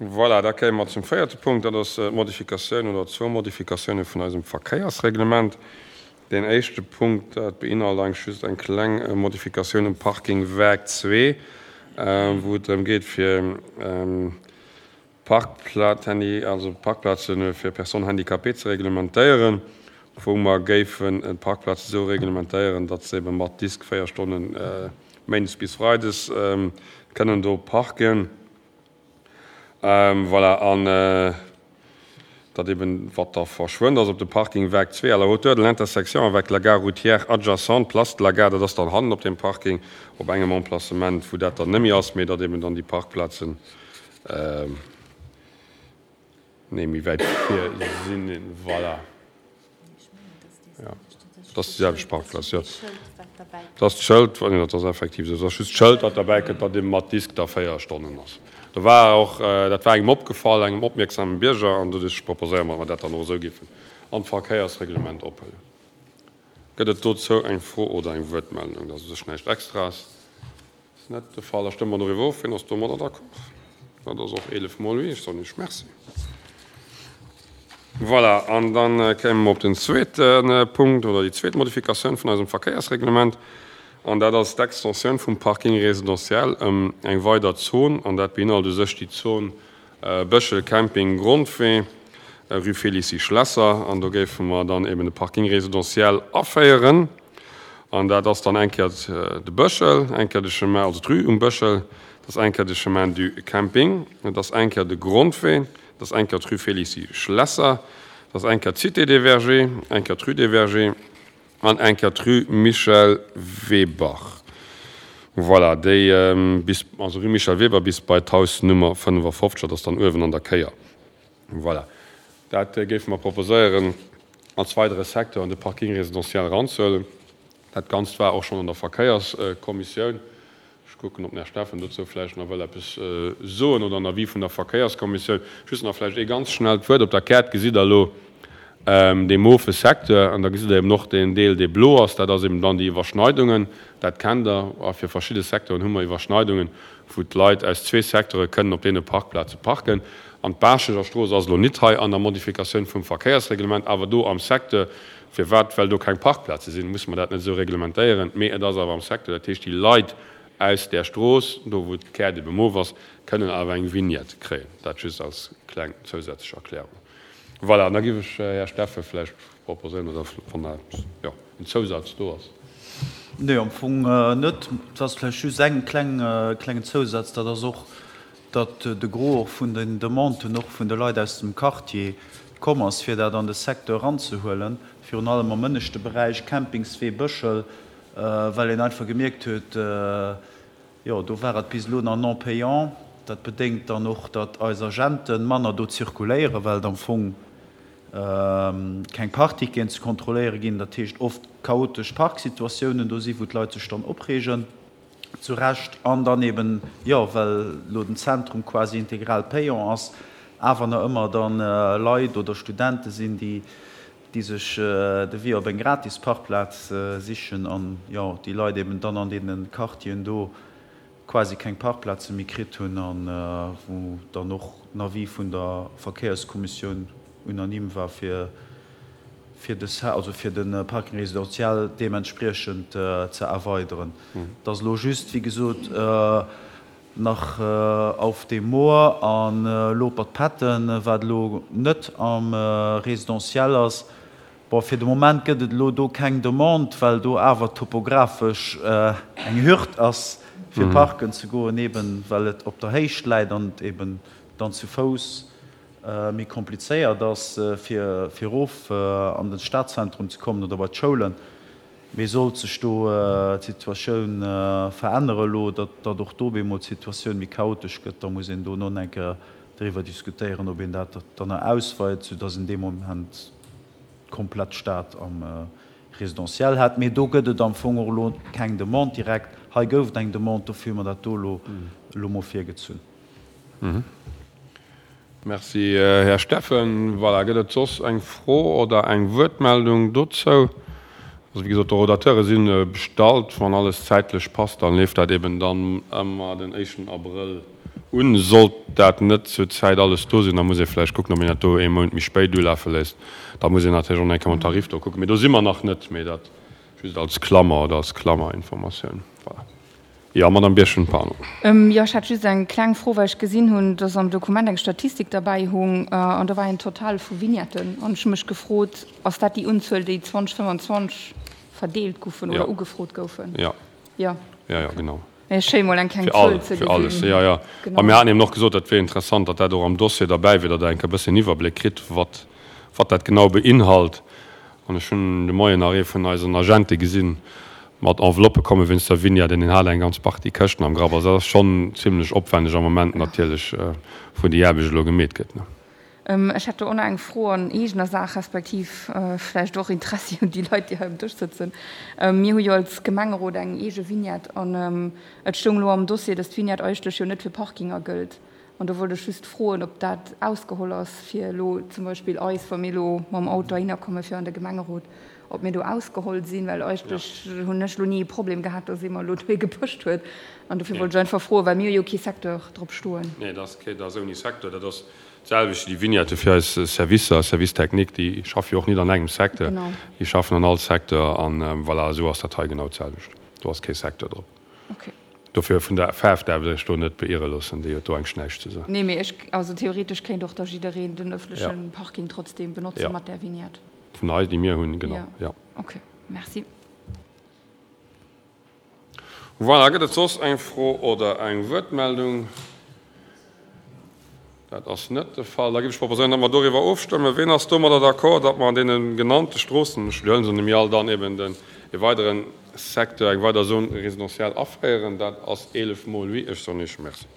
Voilà, da kéime mer zum véierte Punkt, dat ass d'Modifikatioun oder zwou Modifikatioune vun eisem Verkéiersreglement. Deen éischte Punkt, dat beinhalt eigentlech just eng kleng Modifikatioun um Parking Werk 2, wou et drëm geet, fir Parkplazen, also Parkplaze fir Personnes handicapées ze reglementéieren, wou mer géifen d'Parkplaze esou reglementéieren, datt se ebe mat Disk 4 Stonnen méindes bis freides kënnen do parken. Voilà, an datt eben, wat da verschwënnt ass op dem Parking Werk 2, à la hauteur de l'intersection avec la gare routière adjacente, place de la gare, dat ass dann hannen op deem Parking op engem Emplacement, wou dat dann net méi ass, mee datt eben dann déi Parkplazen, Nee, méi wäit vir sinn. Voilà. Ja, dat ass déi selwecht Parkplaz, jo. Dat ass d'Schëld, jo, dat ass effektiv esou. Dat ass just d'Schëld, dat derbäi kënnt, datt ee mat Disk da 4 Stonnen ass. Do war och, dat war engem opgefall, engem opmierksame Bierger, an doduerch proposéiere mer, datt mer dat dann och esou géifen an d'Verkéiersreglement ophuelen. Gëtt et dozou eng Fro oder eng Wuertmeldung? Dat ass u sech näischt Extraes. Ass net de Fall. Da stëmme mer doriwwer of. Wien ass domadder d'accord? Dat ass och 11 mol oui. Ech soen Iech Merci. Voilà, an da kéime mer op den zweete Punkt oder déi zweet Modifikatioun vun eisem Verkéiersreglement. An dat ass d'Extensioun vum Parking résidentiel ëm eng weider Zon. An dat beinhalt u sech déi Zon Bëschel, Camping, Grondwee, rue Félicie Schlesser. An do géife mer dann eben de Parking résidentiel aféieren. An dat ass dann eng Kéier de Bëschel, eng Kéier de Chemin, also d'Rue um Bëschel, dat ass eng Kéier de Chemin du Camping, dat ass eng Kéier de Grondwee, dat ass eng Kéier d'Rue Félicie Schlesser, dat ass eng Kéier d'Cité des Vergers, eng Kéier d'Rue des Vergers an eng Kéier d'Rue Michel Weber. Voilà, déi bis, also Rue Michel Weber bis bei d'Haus Nummer 55, dat ass dann uewen an der Kéier. Voilà, dat géife mer proposéieren als weidere Secteur an de Parking résidentiel eranzehuelen. Dat Ganzt war och schonn an der Verkéierskommissioun. Ech kucken, ob den Här Steffen dozou vläicht nach wëll eppes soen oder en Avis vun der Verkéierskommissioun. Just nach vläicht ee ganz schnellt Wuert. Op der Kaart gesitt Der elo dee mofe Secteur an da gesitt Der eben och deen Deel, dee blo ass. Dat ass eben dann déi Iwwerschneidungen. Dat kennt Der. A fir verschidde Secteuren hu mer Iwwerschneidungen, wou d'Leit aus zwee Secteure kënnen op deene Parkplaze parken. An d'Baacheger Strooss ass elo nit hei an der Modifikatioun vum Verkéiersreglement, awer do am Secteur. Firwat? Well do keng Parkplaze sinn, musse mer dat net esou reglementéieren. Mee et ass awer am Secteur. Dat heescht, déi Leit aus där Strooss, do wou d'Käert ebe mof ass, kënnen awer eng Vignette kréien. Dat just als kleng zousätzlech Erklärung. Voilà, an da géif ech, Här Steffen, vläicht proposéieren, oder wann nach eppes, jo, en Zousaz do ass. Nee, am Fong net. Et ass vläicht just eng kleng, klengen Zousaz, dat ass och, datt de Gros och vun den Demanden och vun de Leit aus dem Quartier komm ass, fir dat an de Secteur eranzehuelen, virun allem am ënneschte Beräich, Campingswee, Bëschel, well een einfach gemierkt huet, jo, do war et bis elo nach non payant. Dat bedéngt dann och, datt eis Agente manner do zirkuléieren, well et am Fong keng Parkticketen ze kontrolléiere ginn. Dat heescht oft chaotesch Parksituatiounen do si wou d'Leit sech dann opreegen, zu Recht, an dann eben, jo, well elo den Zentrum quasi integral payant ass, awer nach ëmmer dann Leit oder Studente sinn, déi déi sech de Wee op eng gratis Parkplaz sichen an, jo, déi Leit eben dann an deene Quartieren do quasi keng Parkplaze méi kritt hunn a wou dann och den Avis vun der Verkéierskommissioun unanime war, fir fir de also fir de Parking résidentiel deementspriechend ze erweideren. Et ass elo just, wéi gesot, nach auf dem Moor an Lopert-Petten, wat elo net am Résidentiel ass. Bon, fir de Moment gëtt et elo do keng Demande, well do awer topographesch eng Hürd ass, fir parken ze goen, eben well et op der Héicht läit an et eben dann zu Fouss méi komplizéiert ass, fir erof an de Stadzentrum ze kommen oder bei d'Schoulen. Mee sollt sech do d'Situatioun verännere elo, datt och do bemol d'Situatioun méi chaotesch gëtt, da muss een do no eng Kéier driwwer diskutéieren, ob een dat dann nach ausweit, soudatt een dee Moment d'komplett Stad am Résidentiel hätt. Mee do gëtt et am Fong och elo keng Demande direkt. Hei gouf et eng Demande, dofir hu mer dat do elo elo mol virgezunn. Merci, Här Steffen. Voilà, gëtt et soss eng Fro oder eng Wuertmeldung dozou? Also, wéi gesot, d'Orodateure si bestallt. Wann alles zäitlech passt, dann leeft dat eben dann ëmmer den éischten Abrëll. Un. Sollt dat net zur Zäit alles do sinn, da muss ee vläicht kucken, ob een dat do ee Mount méi spéit ulafe léisst. Da muss een natierlech och nach eng Kéier mam Tarif do kucken. Mee do si mer nach net. Mee dat just als Klammer oder als Klammerinformatioun. Voilà. Jo, Madamm Birchen, pardon. Jo, ech hätt just eng kleng Fro, well ech gesinn hunn, dass am Dokument eng Statistik derbäi hung an do war een Total vu Vignetten. An ech hu mech gefrot, Ass dat déi Unzuel, déi 2025 verdeelt goufen oder ugefrot goufen? Jo. Jo. Jo, jo, genau. Mee schéi mol eng kleng Zuel ze gesinn. Fir alles, jo, jo. A mir haten eben och gesot, dat wier interessant, datt dat och am Dossier derbäi wier, datt Der eng Kéier e bëssen Iwwerbléck kritt, wat, wat dat genau beinhalt. An ech hunn de Moien nach ee vun eisen Agente gesinn, mat Enveloppe komme wéinst der Vignette, an deen hat eng ganz Partie Këschten am Grapp. Also dat ass schonn zimlech opwänneg am Moment natierlech, wou déi Aarbecht elo gemeet gëtt. Ech hätt do och nach eng Fro an eegener Saach, respektiv vläicht och Interessi un déi Leit, déi hei um Dësch sëtzen. Mir hu jo als Gemengerot eng eege Vignette an et stoung elo am Dossier, dass d'Vignette eigentlech jo net fir Parkinger gëllt. An do wollt ech just froen, ob dat ausgeholl ass fir elo zum Beispill eis, wa mir elo mam Auto heihinner komme fir an de Gemengerot, ob mir do ausgeholl sinn, well eigentlech hunn ech elo ni e Problem gehat, dass ee mer elo dohi gepëscht huet. An dofir wollt ech einfach froen, well mir hu jo kee Secteur drop stoen. Nee, dat ass ouni Secteur. Dat ass D'selwecht déi Vignette fir eis Servicer, Service technique, déi schaffe jo och nit an engem Secteur, déi schaffen an all Secteur an voilà, esou ass dat hei genau d'selwecht. Do ass kee Secteur drop. Dofir vun der Faarf däerft Der Iech do net beirre loossen, déi huet do eigentlech näischt ze soen. Nee, mee ech, also theoretesch kéint och da jiddereen den ëffentleche Parking trotzdem benotze mat där Vignette. Vun eis, déi mir hunn, genau, jo. Ok, merci. Voilà, gëtt et soss eng Fro oder eng Wuertmeldung? Dat ass net de Fall. Da géif ech proposéieren, datt mer doriwwer ofstëmmen. Ween ass domadder d'accord, datt mer an deene genannte Stroossen, ech widderhuelen se nemmi all, dann eben den, e weidere Secteur, eng weider Zone résidentielle aféieren? Dat ass 11 mol oui. Ech soen Iech Merci.